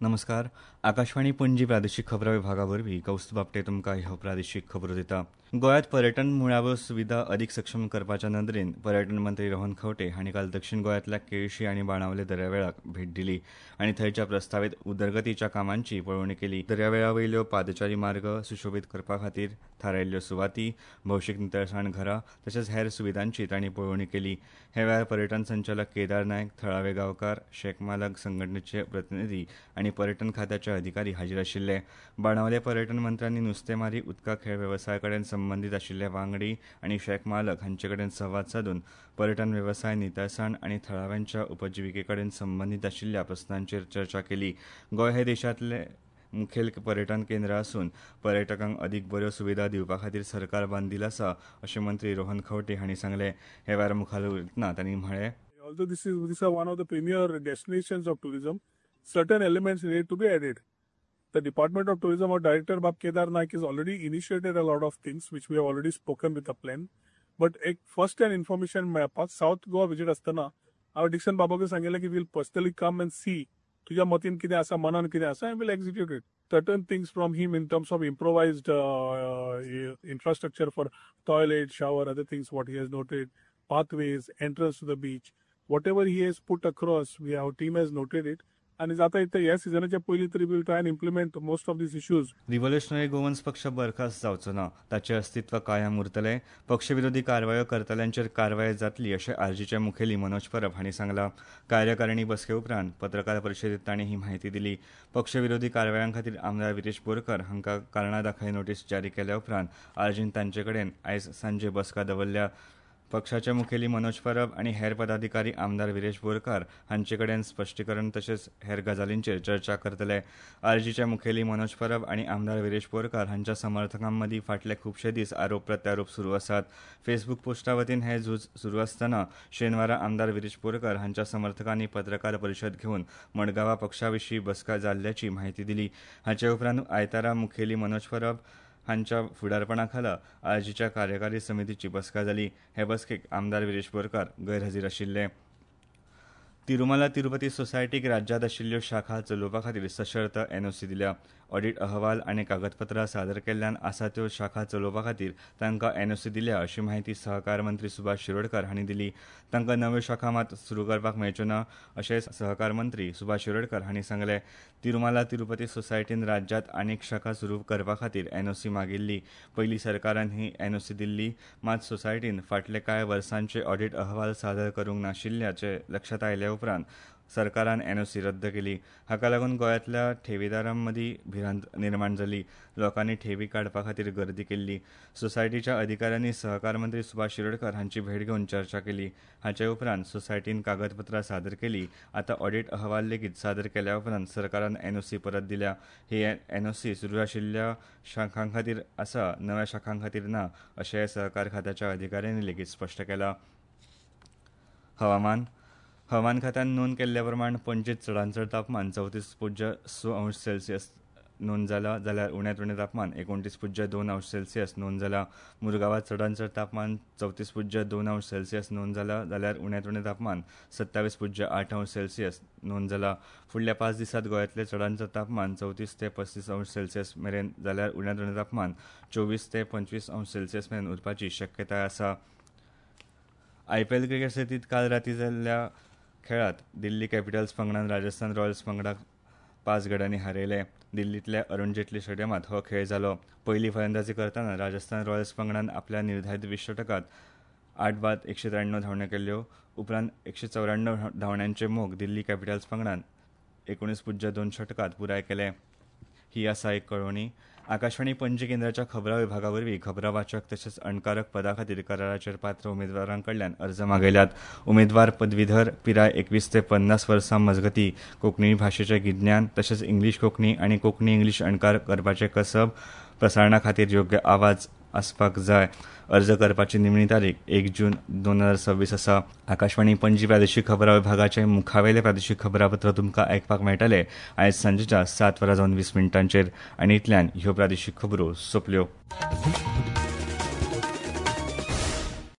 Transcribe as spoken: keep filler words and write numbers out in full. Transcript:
नमस्कार, आकाशवाणी पणजी प्रादेशीक खबरां विभागा वरवीं कौस्तुभ आपटे तुमकां ह्यो प्रादेशीक खबरो दिता. गोंयांत पर्यटन मुळाव्यो सुविधा अदीक सक्षम करपाच्या नदरेन पर्यटन मंत्री रोहन खंवटे हांणी काल दक्षिण गोंयांतल्या केळशी आनी बाणावले दर्यावेळाक भेट दिली आनी थंयच्या प्रस्तावीत उदरगतीच्या कामांची पळोवणी केली. दर्यावेळा वयल्यो पादचारी मार्ग सुशोबीत करपा खातीर थारायल्ल्यो सुवाती, भौशीक नितळसाण घरां तशेंच हेर सुविधांची तांणी पळोवणी केली. हे वेळार पर्यटन संचालक केदार नायक, थळावे गांवकार, शेक मालक संघटनेचे प्रतिनिधी आनी पर्यटन खात्याचे अधिकारी हाजीर आशिल्ले. बाणावले पर्यटन मंत्र्यांनी नुस्तेमारी, उदका खेळ वेवसाया कडेन संबंदीत आशिल्ले वांगडी आनी शेक मालक हांचे कडेन संवाद सादून पर्यटन वेवसाय, नितळसाण आनी थळाव्यांच्या उपजिविके कडेन संबंदीत आशिल्ल्या प्रस्नांचेर चर्चा केली. गोंय हे देशांतले मुखेल पर्यटन केंद्र आसून पर्यटकांक अदीक बऱ्यो सुविधा दिवपा खातीर सरकार बांदील आसा अशें मंत्री रोहन खंवटे हांणी सांगलें. हे वेळार मुखार उलयतना तांणी म्हळें, Although this is this are one of the premier destinations of tourism, certain elements need to be added. The Department of Tourism, our Director Bab Kedar Naik has already initiated a lot of things which we have already spoken with the plan. But एक first hand information मेळपाक south Goa visit आसतना हांवें Dixon बाबाक सांगिल्लें की we'll personally come and see तुज्या मतीन कितें आसा, मनान कितें आसा, and we'll execute it. Certain things from him in terms of improvised infrastructure for toilet, shower, other things what he has noted, pathways, entrance to the beach, whatever he has put across, we our team has noted it. आनी जाता इतलें ह्या सिजनाच्या पयलीं तरी we'll try and implement most of these issues. Revolutionary Goans पक्ष बरखास्त जावचो ना, ताचें अस्तित्व कायम उरतलें, पक्षविरोधी कारवायो करतल्यांचेर कारवाय जातली अशें आरजीचे मुखेली मनोज परब हांणी सांगलां. कार्यकारिणी बसके उपरांत पत्रकार परिशदेंत तांणी ही म्हायती दिली. पक्षविरोधी कारवायां खातीर आमदार विरेश बोरकर हांकां कारणां दाखय नोटीस जारी केल्या उपरांत आरजीन तांचे कडेन आयज सांजे बसका दवरल्या. पक्षाचे मुखेली मनोज परब आनी हेर पदाधिकारी आमदार विरेश बोरकार हांचे कडेन स्पश्टीकरण तशेंच हेर गजालींचेर चर्चा करतले. आरजीचे मुखेली मनोज परब आनी आमदार विरेश बोरकार हांच्या समर्थकां मदीं फाटले खुबशे दीस आरोप प्रत्यारोप सुरू आसात. फेसबूक पोस्टा वतीन हें झूज सुरू आसतना शेनवारा आमदार विरेश बोरकार हांच्या समर्थकांनी पत्रकार परिशद घेवन मडगांवां पक्षा विशीं बसका जाल्ल्याची म्हायती दिली. हाचे उपरांत आयतारा मुखेली मनोज परब हांच्या फुडारपणा खाला आरजीच्या कार्यकारी समितीची बसका जाली. हे बसकेक आमदार विरेश बोरकार गैरहजीर आशिल्ले. तिरुमला तिरुपती सोसायटीक राज्यांत आशिल्ल्यो शाखा चलोवपा खातीर सशर्त एनओसी दिल्या. ऑडिट अहवाल आनी कागदपत्रां सादर केल्ल्यान आसा त्यो शाखा चलोवपा खातीर तांकां एनओसी दिल्या अशी म्हायती सहकार मंत्री सुभाष शिरोडकर हांणी दिली. तांकां नव्यो शाखा मात सुरू करपाक मेळच्यो ना अशें सहकार मंत्री सुभाष शिरोडकर हांणी सांगलें. तिरुमला तिरुपती सोसायटीन राज्यांत आनीक शाखा सुरू करपा खातीर एनओसी मागिल्ली. पयलीं सरकारान ही एनओसी दिल्ली, मात सोसायटीन फाटले कांय वर्सांचे ऑडिट अहवाल सादर करूंक नाशिल्ल्याचें लक्षांत आयल्या उपरांत सरकारान एनओसी रद्द केली. हाका लागून गोंयांतल्या ठेवीदारां मदीं भिरांत निर्माण जाली. लोकांनी ठेवी काडपा खातीर गर्दी केल्ली. सोसायटीच्या अधिकाऱ्यांनी सहकार मंत्री सुभाष शिरोडकर हांची भेट घेवन चर्चा केली. हाचे उपरांत सोसायटीन कागदपत्रां सादर केली. आतां ऑडिट अहवाल लेगीत सादर केल्या उपरांत सरकारान एनओसी परत दिल्या. ही एनओसी सुरू आशिल्ल्या शाखां खातीर आसा, नव्या शाखां खातीर ना अशें सहकार खात्याच्या अधिकाऱ्यांनी लेगीत स्पश्ट केलां. हवामान. हवामान खात्यान नोंद केल्ल्या प्रमाण पणजेंत चडांत चड तापमान चवतीस पुज्य स अंश सेल्सियस नोंद जाला, जाल्यार उण्यांत उणें तापमान एकोणतीस पुज्य दोन अंश सेल्सियस नोंद जाला. मुरगांवांत चडांत चड तापमान चवतीस पुज्य दोन अंश सेल्सियस नोंद जाला, जाल्यार उण्यांत उणें तापमान सत्तावीस पुज्य आठ अंश सेल्सियस नोंद जाला. फुडल्या पांच दिसांत गोंयांतलें चडांत चड तापमान चवतीस ते पस्तीस अंश सेल्सियस मेरेन, जाल्यार उण्यांत उणें तापमान चोवीस ते पंचवीस अंश सेल्सियस मेरेन उरपाची शक्यताय आसा. आयपीएल क्रिकेट सर्तींत काल रातीं जाल्ल्या खेळांत दिल्ली कॅपिटल्स पंगडान राजस्थान रॉयल्स पंगडाक पांच गड्यांनी हारयले. दिल्लींतल्या अरुण जेटली स्टेडियमांत हो खेळ जालो. पयली फलंदाजी करतना राजस्थान रॉयल्स पंगडान आपल्या निर्धारीत वीस षटकांत आठ बाद एकशे त्र्याण्णव धांवड्यो केल्यो. उपरांत एकशे चौऱ्याण्णव धांवड्यांचे मोग दिल्ली कॅपिटल्स पंगडान एकुणीस पुज्य दोन षटकांत पुराय केले. ही आसा एक कळोवणी. आकाशवाणी पणजी केंद्राच्या खबरां विभागा वरवीं खबरां वाचक तशेंच अणकारक पदा खातीर कराराचेर पात्र उमेदवारां कडल्यान अर्ज मागयल्यात. उमेदवार पदवीधर, पिराय एकवीस ते पन्नास वर्सां मजगती, कोंकणी भाशेचें गिज्ञान तशेंच इंग्लीश कोंकणी आनी कोंकणी इंग्लीश अणकार करपाचें कसब, प्रसारणा खातीर योग्य आवाज आसपाक जाय. अर्ज करपाची निमणी तारीख एक जून दोन हजार सव्वीस आसा. आकाशवाणी पणजी प्रादेशीक खबरां विभागाचे मुखावेले प्रादेशीक खबरापत्र तुमकां आयकपाक मेळटलें आयज सांजेच्या सात वरां जावन वीस मिनटांचेर. आनी इतल्यान ह्यो प्रादेशीक खबरो सोंपल्यो.